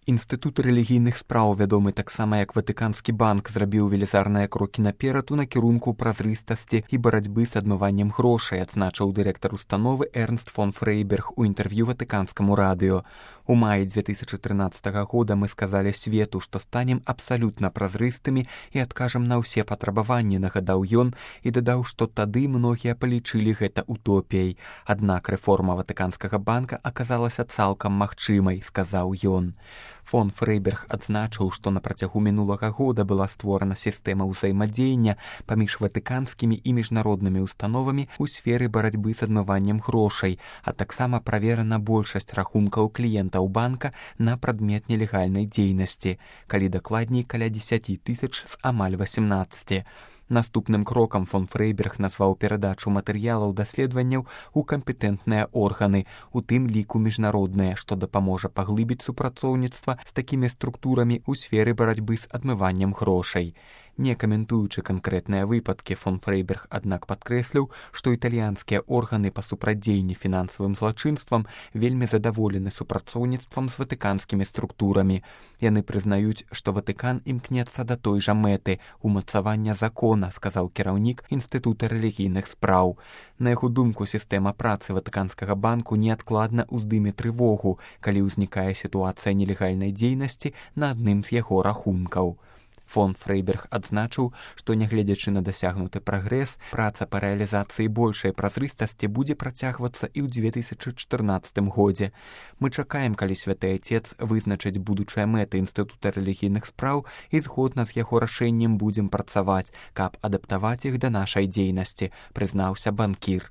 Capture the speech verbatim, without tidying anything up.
Інстытут рэлігійных спраў, вядомы таксама як Ватыканскі банк, зрабіў велізарныя крокі наперад у накірунку празрыстасці і барацьбы з адмываннем грошай, адзначыў дырэктар установы Эрнст фон Фрейберг у інтэрв'ю Ватыканскаму радыё. У маі две тысячы трынаццатага года мы сказалі свету, што станем абсалютна празрыстымі і адкажам на ўсе патрабаванні, нагадаў ён і дадаў, што тады многія палічылі гэта утопіяй. Аднак рэформа Ватыканскага банка аказалася цалкам магчымай, сказаў ён. Фон Фрейберг адзначыў, што на працягу мінулага года была створана сістэма ўзаемадзеяння паміж ватыканскімі і міжнароднымі установамі ў сферы барацьбы з адмываннем грошай, а таксама праверана большасць рахункаў кліентаў банка на прадмет нелегальнай дзейнасці, калі дакладней каля дзесяць тысяч з амаль васемнаццаці. Наступным крокам фон Фрейберг назваў перадачу матэрыялаў даследаванняў у кампетэнтныя органы, у тым ліку міжнародныя, што дапаможа паглыбіць супрацоўніцтва з такімі структурамі ў сферы барацьбы з адмываннем грошай. Не каментуючы канкрэтныя выпадкі, фон Фрейберг, аднак падкрэсліў, што італьянскія органы па супрацьдзеянні фінансавым злачынствам вельмі задаволены супрацоўніцтвам з ватыканскімі структурамі. Яны прызнаюць, што Ватыкан імкнецца да той жа мэты – умацавання закона, сказаў кіраўнік Інстытута рэлігійных спраў. На яго думку, сістэма працы Ватыканскага банку неадкладна ўздыме трывогу, калі ўзнікае сітуацыя нелегальнай дзейнасці на адным з яго рахункаў. Фон Фрейберг адзначыў, што нягледзячы на дасягнуты прагрэс, праца па рэалізацыі большай празрыстасці будзе працягвацца і ў две тысячы чатырнаццатым годзе. Мы чакаем, калі святы Ацец вызначыць будучыя мэты Інстытута рэлігійных спраў і згодна з яго рашэннем будзем працаваць, каб адаптаваць іх да нашай дзейнасці, прызнаўся банкір.